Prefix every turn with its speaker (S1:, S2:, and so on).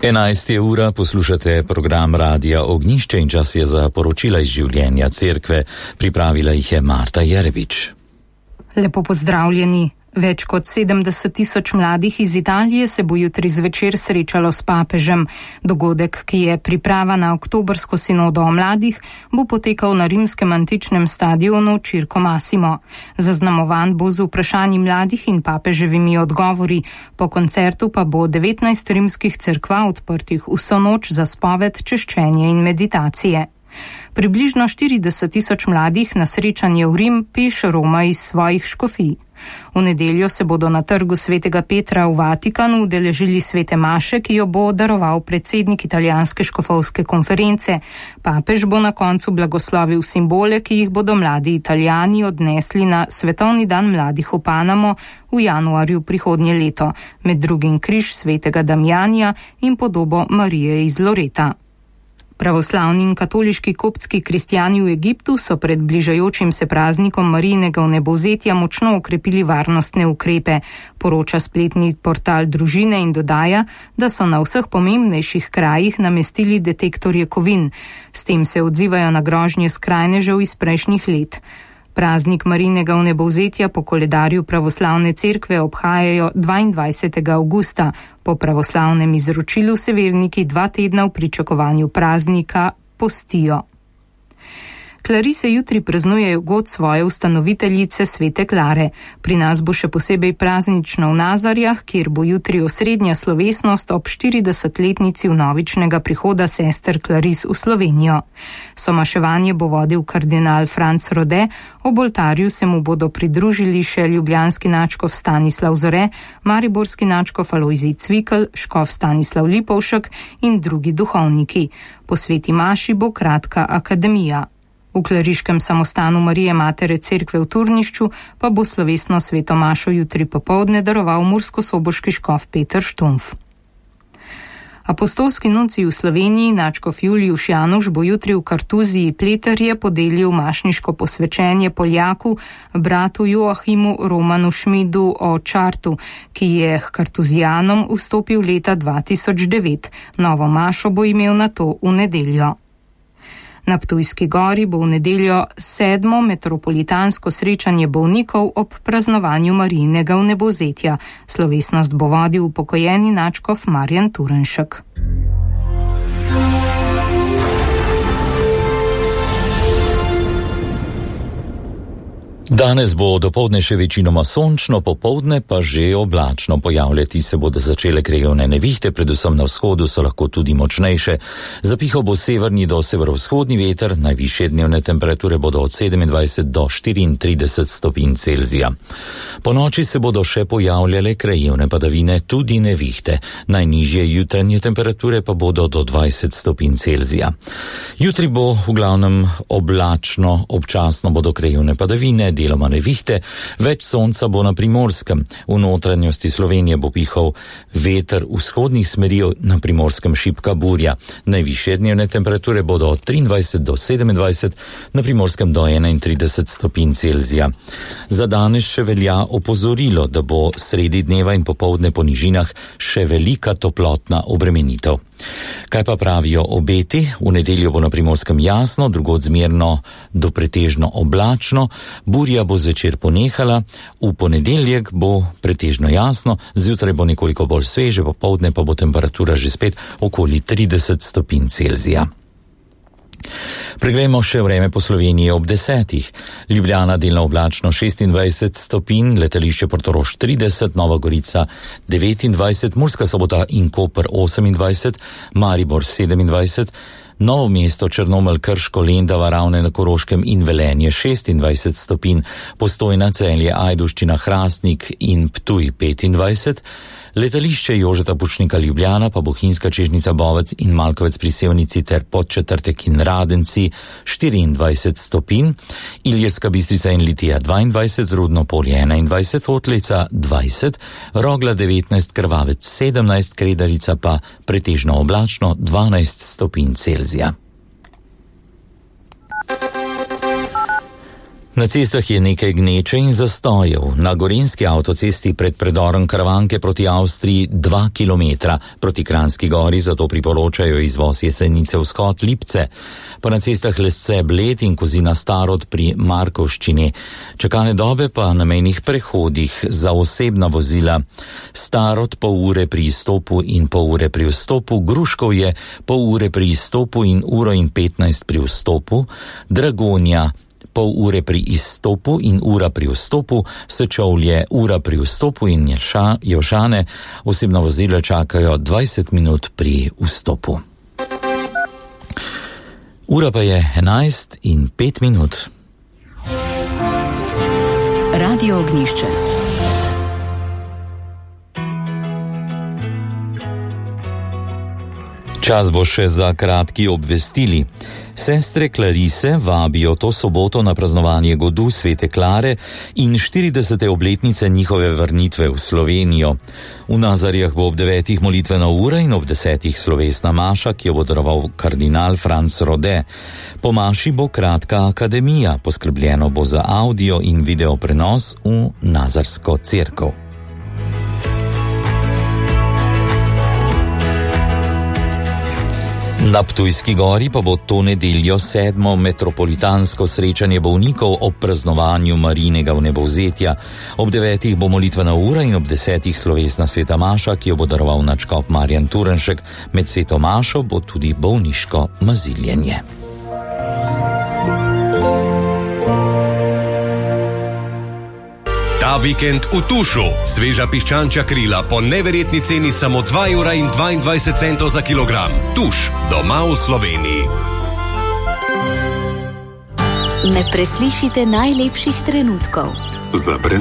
S1: 11. ura, poslušate program Radia Ognjišče in čas je za poročila iz življenja cerkve. Pripravila jih je Marta Jerebič.
S2: Lepo pozdravljeni. Več kot 70,000 mladih iz Italije se bo jutri zvečer srečalo s papežem. Dogodek, ki je priprava na oktobrsko sinodo o mladih, bo potekal na rimskem antičnem stadionu Circo Massimo. Zaznamovan bo z vprašanji mladih in papeževimi odgovori. Po koncertu pa bo 19 rimskih cerkva odprtih vso noč za spoved, češčenje in meditacije. Približno 40,000 mladih na srečanje v Rim peš roma iz svojih škofij. V nedeljo se bodo na trgu Svetega Petra v Vatikanu udeležili svete maše, ki jo bo daroval predsednik italijanske škofovske konference. Papež bo na koncu blagoslovil simbole, ki jih bodo mladi Italijani odnesli na Svetovni dan mladih v Panamo v januarju prihodnje leto, med drugim križ svetega Damjanija in podobo Marije iz Loreta. Pravoslavni in katoliški koptski kristjani v Egiptu so pred bližajočim se praznikom Marijinega vnebovzetja močno okrepili varnostne ukrepe, poroča spletni portal Družine in dodaja, da so na vseh pomembnejših krajih namestili detektorje kovin. S tem se odzivajo na grožnje skrajnežev iz prejšnjih let. Praznik Marijinega vnebovzetja po koledarju pravoslavne cerkve obhajajo 22. avgusta. Po pravoslavnem izročilu se verniki 2 tedna v pričakovanju praznika postijo. Klarise jutri praznujejo god svoje ustanoviteljice svete Klare. Pri nas bo še posebej praznično v Nazarjah, kjer bo jutri osrednja slovesnost ob 40-letnici vnovičnega prihoda sester Klaris v Slovenijo. Somaševanje bo vodil kardinal Franc Rode, ob oltarju se mu bodo pridružili še ljubljanski nadškof Stanislav Zore, mariborski nadškof Alojzij Cvikl, škof Stanislav Lipovšek in drugi duhovniki. Po sveti maši bo kratka akademija. V kleriškem samostanu Marije Matere cerkve v Turnišču pa bo slovesno sveto mašo jutri popoldne daroval murskosoboški škof Peter Štumf. Apostolski nuncij v Sloveniji, nadškof Julijuš Januš, bo jutri v Kartuziji Pleterje podelil mašniško posvečenje Poljaku, bratu Joachimu Romanu Šmidu o Čartu, ki je k Kartuzijanom vstopil leta 2009. Novo mašo bo imel nato v nedeljo. Na Ptujski gori bo v nedeljo 7. metropolitansko srečanje bolnikov ob praznovanju Marijinega vnebovzetja. Slovesnost bo vodil upokojeni nadškof Marjan Turenšek.
S1: Danes bo dopoldne še večinoma sončno, popoldne pa že oblačno. Pojavljati se bodo začele krajevne nevihte, predvsem na vzhodu so lahko tudi močnejše. Zapihal bo severni do severovzhodni veter, najvišje dnevne temperature bodo od 27 do 34 stopinj Celzija. Po noči se bodo še pojavljale krajevne padavine, tudi nevihte. Najnižje jutranje temperature pa bodo do 20 stopinj Celzija. Jutri bo v glavnem oblačno, občasno bodo krajevne padavine, deloma nevihte, več sonca bo na Primorskem. V notranjosti Slovenije bo pihal veter vzhodnih smeri, na Primorskem šibka burja. Najvišje dnevne temperature bodo od 23 do 27, na Primorskem do 31 stopinj Celzija. Za danes še velja opozorilo, da bo sredi dneva in popoldne po nižinah še velika toplotna obremenitev. Kaj pa pravijo obeti? V nedeljo bo na Primorskem jasno, drugod zmerno do pretežno oblačno, burja bo zvečer ponehala, v ponedeljek bo pretežno jasno, zjutraj bo nekoliko bolj sveže, popoldne pa bo temperatura že spet okoli 30 stopinj Celzija. Preglejmo še vreme po Sloveniji ob 10. Ljubljana delno oblačno 26 stopinj, letališče Portorož 30, Nova Gorica 29, Murska Sobota in Koper 28, Maribor 27, Novo mesto, Črnomelj, Krško, Lendava, Ravne na Koroškem in Velenje 26 stopinj, Postojna, Celje, Ajdovščina, Hrastnik in Ptuj 25, letališče Jožeta Pučnika Ljubljana, pa Bohinjska Čežnica, Bovec in Malkovec pri Sevnici ter Podčetrtek in Radenci 24 stopinj, Ilirska Bistrica in Litija 22, Rudno Polje 21, Otlica 20, Rogla 19, Krvavec 17, Kredarica pa pretežno oblačno 12 stopinj Celzija. Na cestah je nekaj gneče in zastojev. Na gorenjski avtocesti pred predorom Karavanke proti Avstriji 2 kilometra, proti Kranjski gori zato priporočajo izvoz Jesenice vzhod Lipce. Pa na cestah Lesce Bled in Kozina Starod pri Markovščini. Čakalne dobe pa na mejnih prehodih za osebna vozila. Starod pol ure pri izstopu in pol ure pri vstopu, Gruškov je pol ure pri izstopu in 1:15 pri vstopu, Dragonja pol ure pri izstopu in ura pri vstopu, Sečovlje ura pri vstopu in Jelšane osebna vozila čakajo 20 minut pri vstopu. Ura pa je 11:05.
S3: Radio Ognjišče.
S1: Čas bo še za kratki obvestili. Sestre Klarise vabijo to soboto na praznovanje godu Svete Klare in 40. obletnice njihove vrnitve v Slovenijo. V Nazarjah bo ob 9. molitvena ura in ob 10. slovesna maša, ki jo bo daroval kardinal Franc Rode. Po maši bo kratka akademija, poskrbljeno bo za audio in video prenos v Nazarsko cerkev. Na Ptujski gori pa bo to nedeljo 7. metropolitansko srečanje bolnikov ob praznovanju Marijinega vnebovzetja. Ob 9. bo molitvena ura in ob 10. slovesna sveta maša, ki jo bo daroval nadškof Marjan Turnšek. Med sveto mašo bo tudi bolniško maziljenje.
S4: Ta vikend v Tušu. Sveža piščančja krila po neverjetni ceni samo 2,22 € za kilogram. Tuš, doma v Sloveniji.
S3: Ne preslišite najlepših trenutkov.
S4: Za